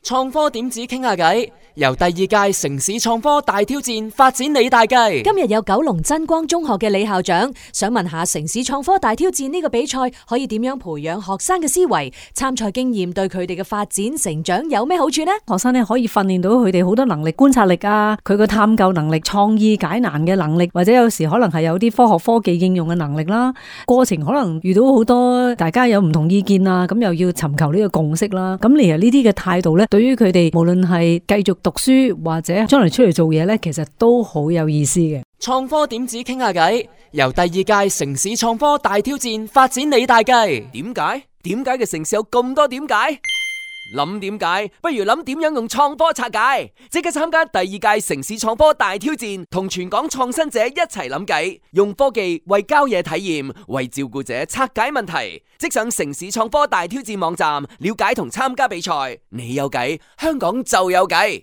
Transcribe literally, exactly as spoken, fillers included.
創科點子傾下偈，由第二屆城市創科大挑戰發展你大計。今日有九龍真光中學嘅李校長想問下城市創科大挑戰呢個比賽可以點樣培養學生嘅思維，參賽經驗對佢哋嘅發展成長有咩好處呢？學生咧可以訓練到佢哋好多能力，觀察力啊，佢個探究能力、創意解難嘅能力，或者有時可能係有啲科學科技應用嘅能力啦。過程可能遇到好多大家有唔同意見啊，咁又要尋求呢個共識啦。咁其實呢啲嘅態度咧，對於佢哋無論係繼續讀書或者將來出嚟做嘢咧，其實都好有意思嘅。創科點子傾下偈，由第二屆城市創科大挑戰發展你大計。點解？點解嘅城市有咁多點解？諗點解，不如諗點樣用創科拆解。即刻參加第二屆城市創科大挑戰，同全港創新者一齊諗計，用科技為郊野體驗，為照顧者拆解問題。即上城市創科大挑戰網站了解同參加比賽。你有計，香港就有計。